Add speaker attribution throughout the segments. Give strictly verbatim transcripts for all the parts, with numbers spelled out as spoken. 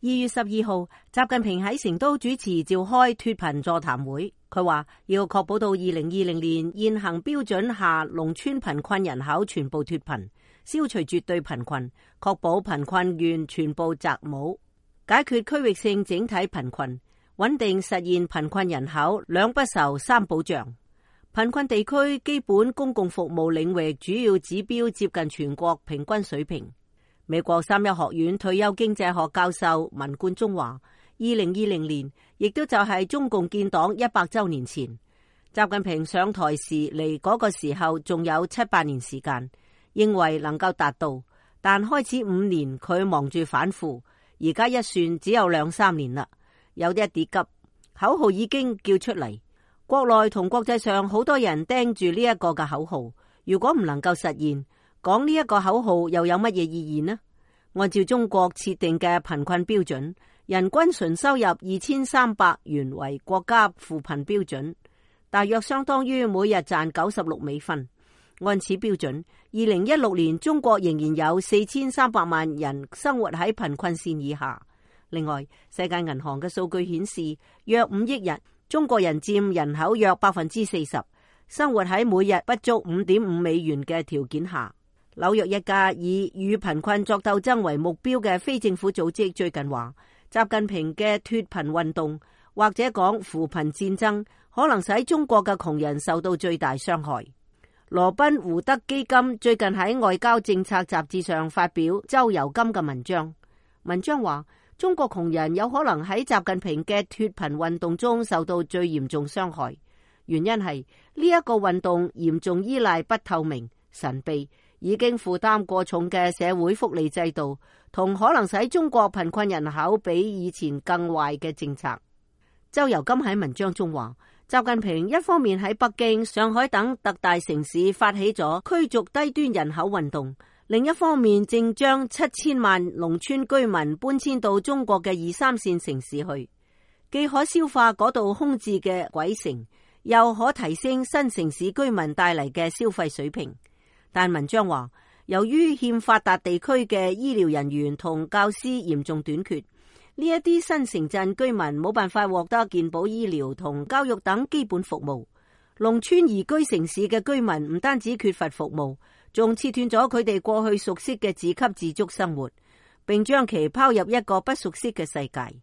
Speaker 1: 二月十二號，習近平喺成都主持召開脫貧座談會。佢話要確保到二零二零年現行標準下農村貧困人口全部脫貧，消除絕對貧困，確保貧困縣全部摘帽，解決區域性整體貧困，穩定實現貧困人口兩不愁三保障。貧困地區基本公共服務領域主要指標接近全國平均水平。美國三一學院退休經濟學教授文冠中話，二零二零年亦都就係中共建黨一百周年前，習近平上台時離嗰個時候仲有七八年時間，認為能夠達到，但開始五年佢忙住反腐，而家一算只有兩三年啦，有一啲急，口號已經叫出嚟，國內同國際上好多人盯住呢一個嘅口號，如果唔能夠實現，講呢一個口號又有乜嘢意義呢？按照中國設定嘅貧困標準，人均純收入二千三百元為國家扶貧標準，大約相當於每日賺九十六美分。按此標準，二零一六年中國仍然有四千三百萬人生活喺貧困線以下。另外，世界銀行嘅數據顯示，約五億人，中國人佔人口約百分之四十，生活喺每日不足五點五美元嘅條件下。紐約一家以與貧困作鬥爭為目標嘅非政府組織最近話，習近平嘅脫貧運動或者講扶貧戰爭，可能使中國嘅窮人受到最大傷害。羅賓胡德基金最近喺外交政策雜誌上發表周游金嘅文章，文章話中國窮人有可能喺習近平嘅脫貧運動中受到最嚴重傷害，原因係呢一個運動嚴重依賴不透明、神秘、已經負擔過重嘅社會福利制度，同可能使中國貧困人口比以前更壞嘅政策。周游金喺文章中話，習近平一方面喺北京、上海等特大城市發起咗驅逐低端人口運動，另一方面正將七千萬農村居民搬遷到中國嘅二三線城市去，既可消化嗰度空置嘅鬼城，又可提升新城市居民帶嚟嘅消費水平。但文章話，由於欠發達地區嘅醫療人員同教師嚴重短缺，呢一啲新城鎮居民冇辦法獲得健保醫療同教育等基本服務。農村移居城市嘅居民唔單止缺乏服務，仲切斷咗佢哋過去熟悉嘅自給自足生活，並將其拋入一個不熟悉嘅世界。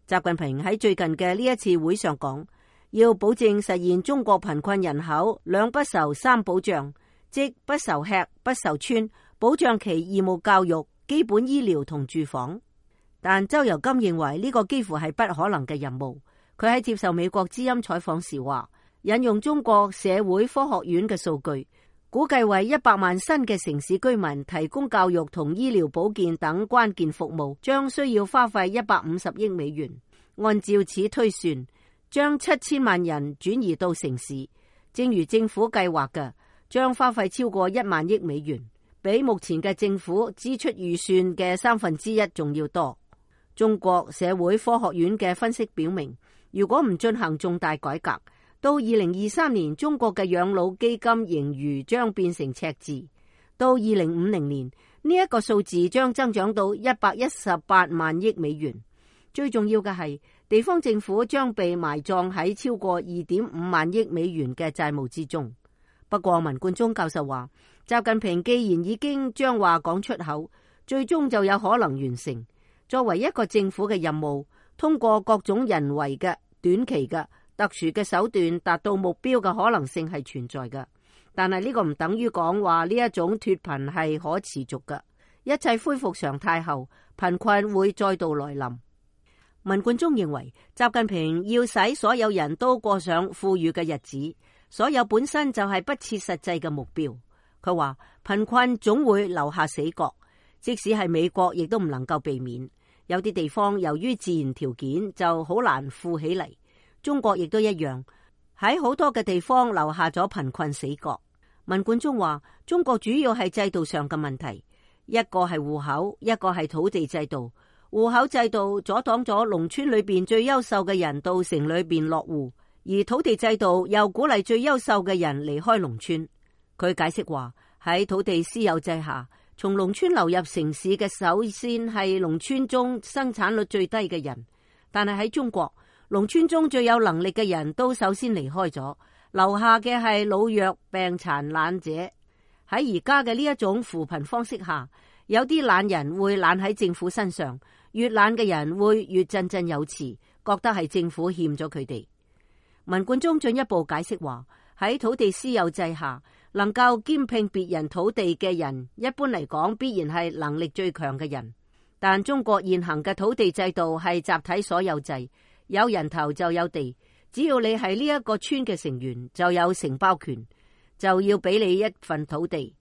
Speaker 1: 習近平喺最近嘅呢一次會上講，要保證實現中國貧困人口兩不愁三保障，即不愁吃不愁穿，保障其義務教育、基本醫療同住房。但周游金認為呢個幾乎係不可能嘅任務。佢喺接受美國之音採訪時話，引用中國社會科學院嘅數據，估計為一百萬新嘅城市居民提供教育同醫療保健等關鍵服務，將需要花費一百五十億美元。按照此推算，將七千萬人轉移到城市，正如政府計劃嘅，將花費超過一萬億美元，比目前嘅政府支出預算嘅三分之一仲要多。中國社會科學院嘅分析表明，如果唔進行重大改革，到二零二三年中國嘅養老基金盈餘將變成赤字，到二零五零年呢一個數字將增長到一百一十八萬億美元。最重要嘅係，地方政府將被埋葬喺超過二點五萬億美元嘅債務之中。不過文冠中教授話，習近平既然已經將話講出口，最終就有可能完成。作為一個政府嘅任務，通過各種人為嘅、短期嘅、特殊嘅手段達到目標嘅可能性係存在嘅。但係呢個唔等於講話呢一種脫貧係可持續嘅。一切恢復常態後，貧困會再度來臨。文冠中認為，習近平要使所有人都過上富裕嘅日子，所有本身就係不切實際嘅目標。佢話貧困總會留下死角，即使係美國亦都唔能夠避免。有啲地方由於自然條件就好難富起嚟，中國亦都一樣，喺好多嘅地方留下咗貧困死角。文冠中話，中國主要係制度上嘅問題，一個係戶口，一個係土地制度。戶口制度阻擋咗農村裏邊最優秀嘅人到城裏邊落戶，而土地制度又鼓勵最優秀嘅人離開農村。佢解釋話，喺土地私有制下，從農村流入城市嘅首先係農村中生產率最低嘅人，但係喺中國，農村中最有能力嘅人都首先離開咗，留下嘅係老弱病殘懶者。喺而家嘅呢一種扶貧方式下，有啲懶人會懶喺政府身上，越懶嘅人會越振振有詞，覺得係政府欠咗佢哋。文冠中進一步解釋話，喺土地私有制下，能夠兼併別人土地嘅人，一般嚟講必然係能力最強嘅人。但中國現行嘅土地制度係集體所有制，有人頭就有地，只要你係呢一個村嘅成員，就有承包權，就要俾你一份土地。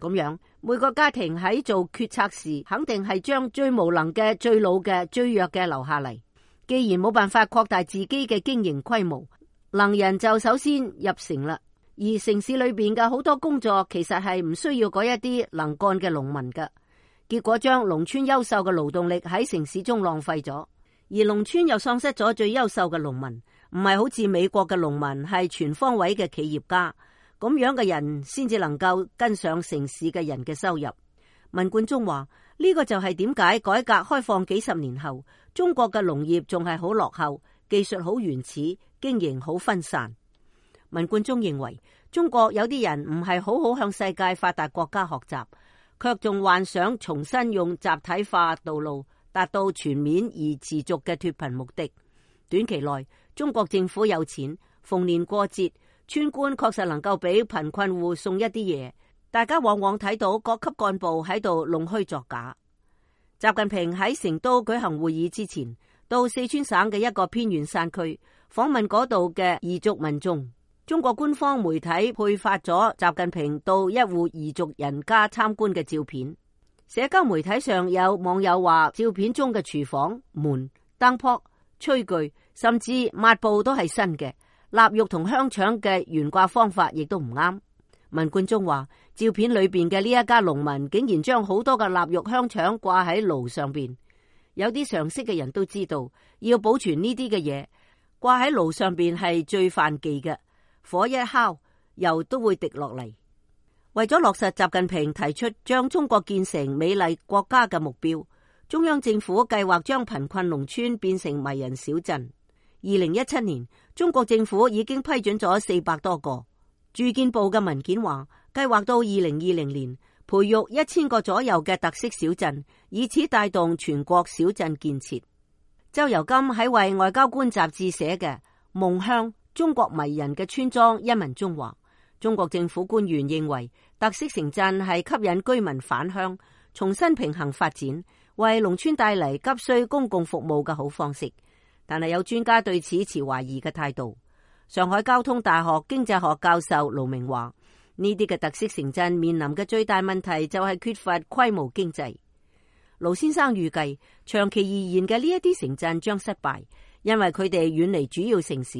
Speaker 1: 咁樣每個家庭喺做決策時，肯定係將最無能嘅、最老嘅、最弱嘅留下嚟。既然冇辦法擴大自己嘅經營規模，能人就首先入城啦。而城市裏邊嘅好多工作其實係唔需要嗰一啲能幹嘅農民㗎，結果將農村優秀嘅勞動力喺城市中浪費咗，而農村又喪失咗最優秀嘅農民。唔係好似美國嘅農民係全方位嘅企業家，咁樣嘅人先至能夠跟上城市嘅人嘅收入。文冠中話，呢個就係點解改革開放幾十年後，中國嘅農業仲係好落後，技術好原始，經營好分散。文冠中認為，中國有啲人唔係好好向世界發達國家學習，卻仲幻想重新用集體化道路達到全面而持續嘅脫貧目的。短期內，中國政府有錢，逢年過節，村官確實能夠俾貧困戶送一啲嘢。大家往往睇到各級幹部喺度弄虛作假。習近平喺成都舉行會議之前，到四川省嘅一個偏遠山區訪問嗰度嘅彝族民眾。中國官方媒體配發咗習近平到一戶彝族人家參觀嘅照片。社交媒體上有網友話，照片中嘅廚房、門、燈泡、炊具甚至抹布都係新嘅，臘肉同香腸嘅懸掛方法亦都唔啱。文冠中話，照片裏邊嘅呢一家農民竟然將好多嘅臘肉香腸掛喺爐上邊。有啲常識嘅人都知道，要保存呢啲嘅嘢，掛喺爐上邊係最犯忌嘅。火一烤，油都會滴落嚟。為咗落實習近平提出將中國建成美麗國家嘅目標，中央政府計劃將貧困農村變成迷人小鎮。二零一七年，中國政府已經批准咗四百多個。住建部嘅文件話，計劃到二零二零年培育一千個左右嘅特色小鎮，以此帶動全國小鎮建設。周游金喺為外交官雜誌寫嘅《夢鄉：中國迷人嘅村莊》一文中話，中國政府官員認為特色城鎮係吸引居民返鄉，重新平衡發展，為農村帶嚟急需公共服務嘅好方式。但係有專家對此持懷疑嘅態度。上海交通大學經濟學教授盧明話，呢啲嘅特色城鎮面臨嘅最大問題就係缺乏規模經濟。盧先生預計，長期而言嘅呢一啲城鎮將失敗，因為佢哋遠離主要城市，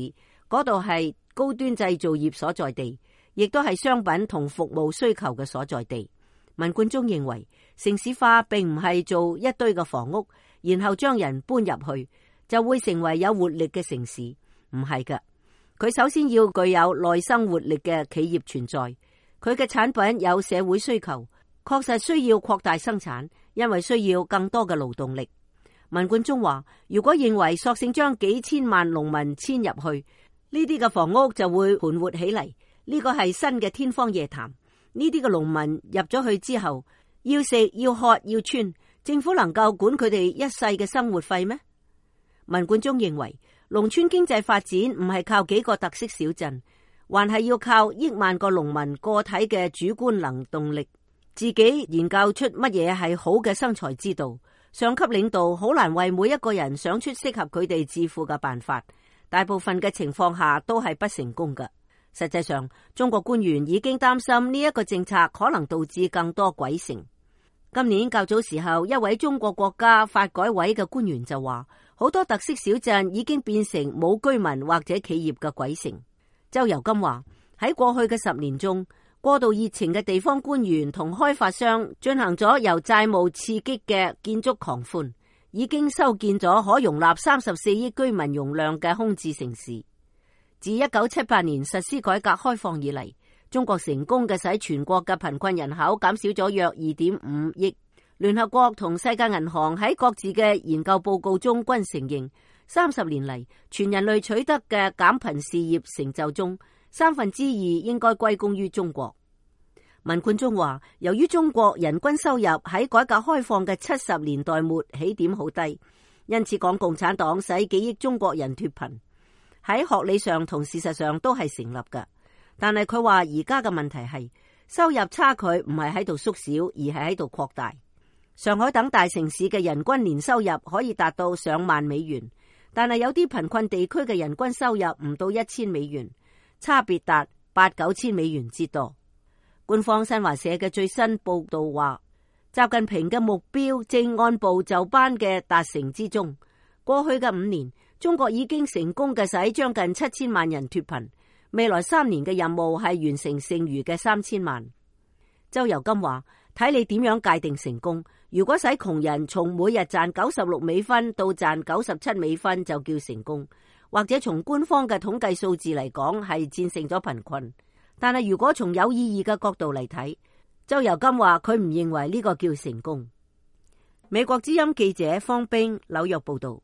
Speaker 1: 嗰度係高端製造業所在地，亦都係商品同服務需求嘅所在地。文冠中認為，城市化並唔係做一堆嘅房屋，然後將人搬入去，就會成為有活力嘅城市。唔係㗎，佢首先要具有內生活力嘅企業存在，佢嘅產品有社會需求，確實需要擴大生產，因為需要更多嘅勞動力。文冠中話，如果認為索性將幾千萬農民遷入去，呢啲嘅房屋就會盤活起嚟，呢個係新嘅天方夜譚。呢啲嘅農民入咗去之後，要食要喝要穿，政府能夠管佢哋一世嘅生活費咩？文冠中認為，農村經濟發展唔係靠幾個特色小鎮，還係要靠億萬個農民個體嘅主觀能動力，自己研究出乜嘢係好嘅生財之道。上級領導好難為每一個人想出適合佢哋致富嘅辦法，大部分嘅情況下都係不成功嘅。實際上，中國官員已經擔心呢一個政策可能導致更多鬼城。今年較早時候，一位中國國家發改委嘅官員就話，好多特色小鎮已經變成冇居民或者企業嘅鬼城。周游金話，喺過去嘅十年中，過度熱情嘅地方官員同開發商進行咗由債務刺激嘅建築狂歡，已經修建咗可容納三十四億居民容量嘅空置城市。自一九七八年實施改革開放以嚟，中國成功嘅使全國嘅貧困人口減少咗約二點五億。聯合國同世界銀行喺各自嘅研究報告中均承認，三十年嚟全人類取得嘅減貧事業成就中，三分之二應該歸功於中國。文冠中話，由於中國人均收入喺改革開放嘅七十年代末起點好低，因此講共產黨使幾億中國人脫貧，喺學理上同事實上都係成立嘅。但係佢話而家嘅問題係收入差距唔係喺度縮小，而係喺度擴大。上海等大城市嘅人均年收入可以達到上萬美元，但係有啲貧困地區嘅人均收入唔到一千美元，差別達八九千美元之多。官方新華社嘅最新報道話，習近平嘅目標正按部就班嘅達成之中。過去嘅五年，中國已經成功嘅使將近七千萬人脫貧，未來三年嘅任務係完成剩餘嘅三千萬。周游金話，睇你點樣界定成功。如果使窮人從每日賺九十六美分到賺九十七美分就叫成功，或者從官方嘅統計數字嚟講係戰勝咗貧困。但係如果從有意義嘅角度嚟睇，周游金話佢唔認為呢個叫成功。美國之音記者方冰紐約報道。